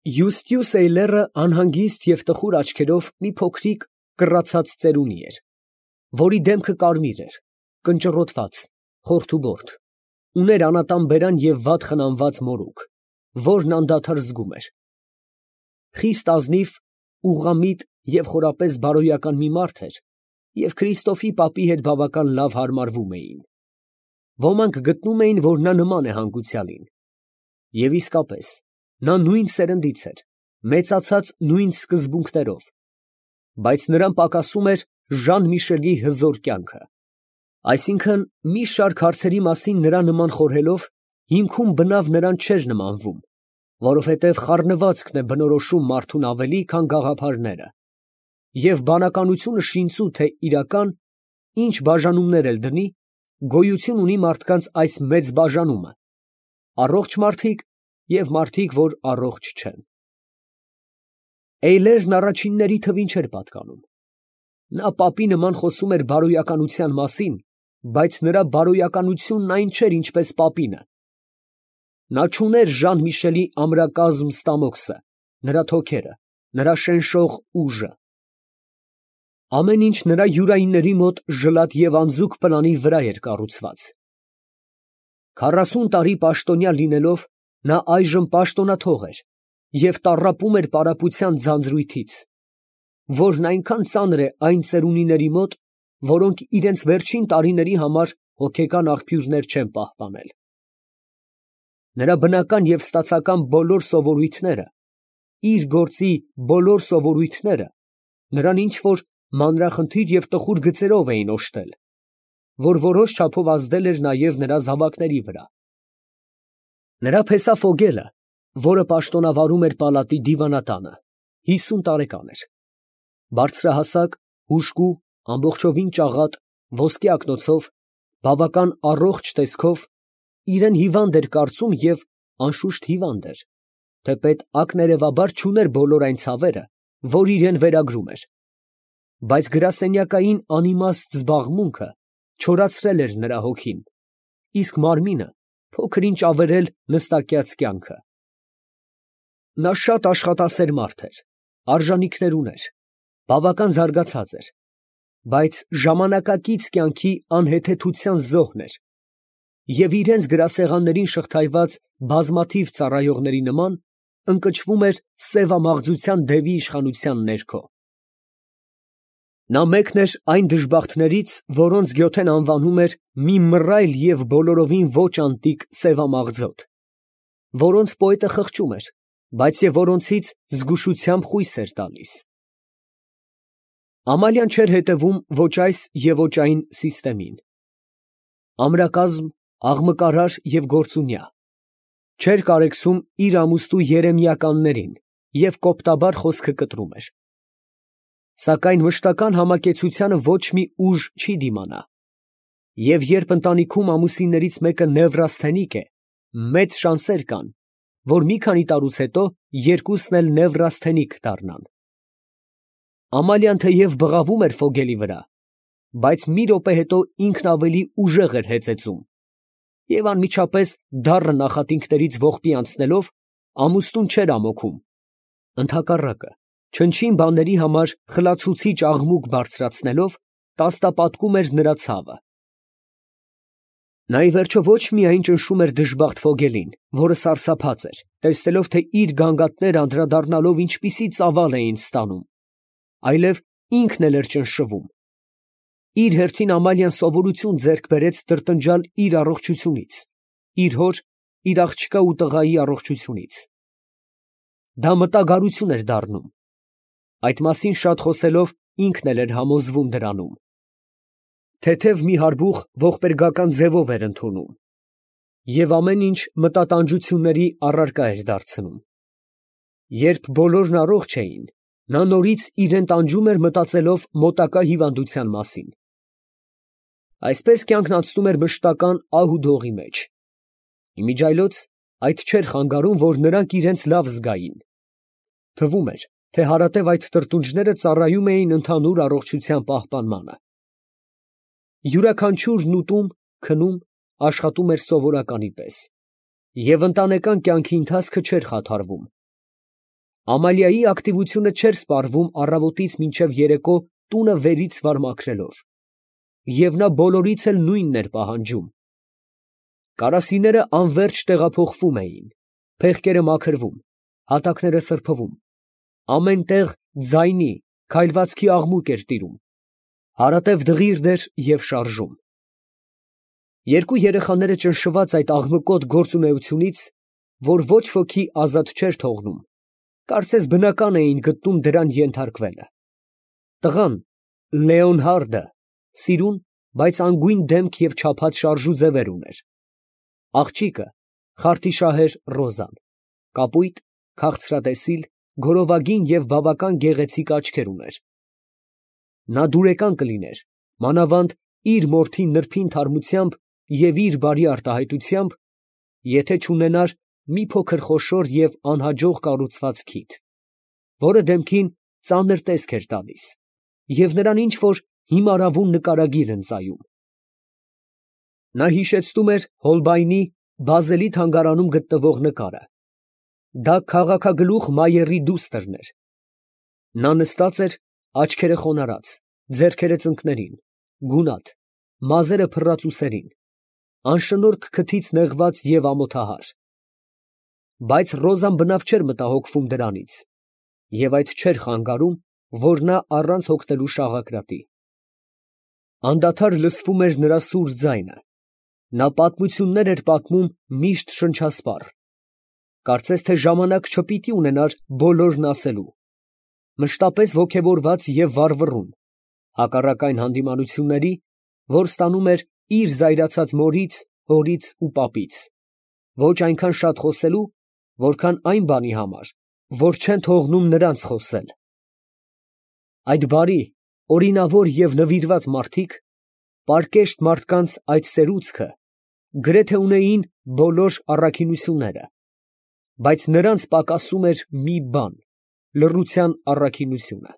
Յուստյուս Էյլերը անհանգիստ և տխուր աչքերով մի փոքրիկ կռացած ծերունի էր, որի դեմքը կարմիր էր, կնճռոտված, խորթուբորդ, ուներ անատան բերան և վատ խնամված մորուք, որն անդադար զգում էր։ Խիստ ազնիվ, ուղղամիտ և խորապես բարոյական մի մարդ էր և Քրիստոֆի պապի հետ բավական լավ հարմարվում էին. ոմանք գտնում էին, որ նա նման է հանգուցյալին. և իսկապես, նա նույն սերնդից էր, մեծացած նույն սկզբունքներով, բայց նրան պակասում էր Ժան Միշելի հզոր կյանքը, այսինքն՝ մի շարք հարցերի մասին նրա նման խորհելով, հիմքում բնավ նրան չէր նմանվում, որովհետև խառնվածքն է բնորոշում մարդուն ավելի, քան գաղափարները, և բանականությունը շինծու թե իրական, ինչ բաժանումներ էլ դնի, գոյություն ունի մարդկանց այս մեծ բաժանումը, առողջ մարդիկ և մարդիկ, որ առողջ չեն։ Էյլերն առաջինների թվին չէր պատկանում. նա պապի նման խոսում էր բարոյականության մասին, բայց նրա բարոյականությունն այն չէր, ինչպես պապինը. նա չուներ Ժան Միշելի ամրակազմ ստամոքսը, նրա թոքերը, նրա շնշող ուժը։ Ամեն ինչ նրա յուրայինների մոտ ժլատ և անձուկ պլանի վրա էր կառուցված։ 40 տարի պաշտոնյա լինելով, նա այժմ պաշտոնաթող էր և տառապում էր պարապության ձանձրույթից, որն այնքան ծանր է այն ծերունիների մոտ, որոնք իրանց վերջին տարիների համար հոգեկան աղբյուրներ չեն պահպանել։ Նրա բնական և ստացական բոլոր սովորույթները, իր գործի բոլոր սովորույթները նրան ինչ֊որ մանրախնդիր և տխուր գծերով էին օժտել, որ որոշ չափով ազդել էր նաև նրա զավակների վրա։ Նրա փեսա Ֆոգելը, որը պաշտոնավարում էր պալատի դիվանատանը, 50 տարեկան էր, բարձրահասակ, հուժկու, ամբողջովին ճաղատ, ոսկե ակնոցով, բավական առողջ տեսքով, իրան հիվանդ էր կարծում և, անշուշտ, հիվանդ էր, թեպետ ակներևաբար չուներ բոլոր այն ցավերը, որ իրան վերագրում էր, բայց գրասենյակային անիմաստ զբաղմունքը չորացրել էր նրա հոգին, իսկ մարմինը փոքր ինչ ավերել նստակյաց կյանքը։ Նա շատ աշխատասեր մարդ էր, արժանիքներ ուներ, բավական զարգացած էր, բայց ժամանակակից կյանքի անհեթեթության զոհն էր և իրանց գրասեղաններին շղթայված բազմաթիվ ծառայողների նման ընկճվում էր սևամաղձության դևի իշխանության ներքո։ Նա մեկն էր այն դժբախտներից, որոնց Գյոթեն անվանում էր մի մռայլ և բոլորովին ոչ անտիկ սևամաղձոտ, որոնց պոետը խղճում էր, բայց և որոնցից զգուշությամբ խույս էր տալիս։ Ամալիան չէր հետևում ոչ այս և ոչ այն սիստեմին. ամրակազմ, աղմկարար և գործունյա, չէր կարեկցում իր ամուստու երեմիականներին և կոպտաբար խոսքը կտրում էր։ Սակայն մշտական համակեցությանը ոչ մի ուժ չի դիմանա, և երբ ընտանիքում ամուսիններից մեկը նևրասթենիկ է, մեծ շանսեր կան, որ մի քանի տարուց հետո երկուսն էլ նևրասթենիկ դառնան։ Ամալիան թեև բղավում էր Ֆոգելի վրա, բայց մի րոպե հետո ինքն ավելի ուժեղ էր հեծեծում և անմիջապես դառն նախատինքներից ողբի անցնելով, ամուսնուն չէր ամոքում, ընդհակառակը, չնչին բաների համար խլացուցիչ աղմուկ բարձրացնելով, տաստապատկում էր նրա ցավը։ Նա ի վերջո ոչ միայն ճնշում էր դժբախտ Ֆոգելին, որը սարսափած էր, տեսնելով, թե իր գանգատները անդրադառնալով ինչպիսի ծավալ էին ստանում, այլև ինքն էլ էր ճնշվում։ Իր հերթին Ամալիան սովորություն ձեռք բերեց տրտնջալ իր առողջությունից, իր հոր, իր աղջկա ու տղայի առողջությունից։ Դա մտագարություն էր դառնում։ Այդ մասին շատ խոսելով ինքն էլ էր համոզվում դրանում։ Թեթև մի հարբուխ ողբերգական ձևով էր ընդունում և ամեն ինչ մտատանջությունների առարկա էր դարձնում։ Երբ բոլորն առողջ էին, նա նորից իրան տանջում էր մտածելով մոտակա հիվանդության մասին։ Այսպես կյանքն անցնում էր մշտական ահ ու դողի մեջ։ Իմիջիայլոց այդ չէր խանգարում, որ նրանք իրենց լավ զգային։ Թվում էր, թե հարատև այդ տրտունջները ծառայում էին ընդհանուր առողջության պահպանմանը։ Յուրաքանչյուրն ուտում, քնում, աշխատում էր սովորականի պես, և ընտանեկան կյանքի ընթացքը չէր խաթարվում։ Ամալիայի ակտիվությունը չէր սպառվում առավոտից մինչև երեկո տունը վերից վար մաքրելով, և նա բոլորից էլ նույնն էր պահանջում։ Կարասիները անվերջ տեղափոխվում էին, փեղկերը մաքրվում, հատակները սրբվում, ամեն տեղ ձայնի, քայլվածքի աղմուկ էր տիրում, հարատև դղիրդ էր և շարժում։ Երկու երեխաները ճնշված այդ աղմկոտ գործունեությունից, որ ոչ ոքի ազատ չէր թողնում, կարծես բնական էին գտնում դրան ենթարկվելը։ Տղան, Լեոնհարդը, սիրուն, բայց անգույն դեմք և չափած շարժու ձևեր ուներ։ Աղջիկը, խարթիշահեր Ռոզան, կապույտ, քաղցրատեսիլ, գորովագին և բավական գեղեցիկ աչքեր ուներ։ Նա դուրեկան կլիներ, մանավանդ իր մորթի նրբին թարմությամբ և իր բարի արտահայտությամբ, եթե չունենար մի փոքր խոշոր և անհաջող կառուցված քիթ, որը դեմքին ծանր տեսք էր տալիս և նրան ինչ֊որ հիմարավուն նկարագիր ընծայում։ Նա հիշեցնում էր Հոլբայնի Բազելի թանգարանում գտնվող նկարը։ Դա քաղաքագլուխ Մայերի դուստրն էր։ Նա նստած էր, աչքերը խոնարհած, ձեռքերը ծնկներին, գունատ, մազերը փռած ուսերին, անշնորհք քթից նեղված և ամոթահար։ Բայց Ռոզան բնավ չէր մտահոգվում դրանից և այդ չէր խանգարում, որ նա առանց հոգնելու շաղակրատի։ Անդադար լսվում էր նրա սուր ձայնը, նա պատմություններ էր պատմում միշտ շնչասպառ, կարծես թե ժամանակ չպիտի ունենար բոլորն ասելու, մշտապես ոգևորված և վառվռուն, հակառակ այն հանդիմանությունների, որ ստանում էր իր զայրացած մորից, հորից ու պապից, ոչ այնքան շատ խոսելու, որքան այն բանի համար, որ չեն թողնում նրանց խոսել։ Այդ բարի, օրինավոր և նվիրված մարդիկ, պարկեշտ մարդկանց այդ սերուցքը, գրեթե ունեին բոլոր առաքինությունները, բայց նրանց պակասում էր մի բան՝ լռության առաքինությունը։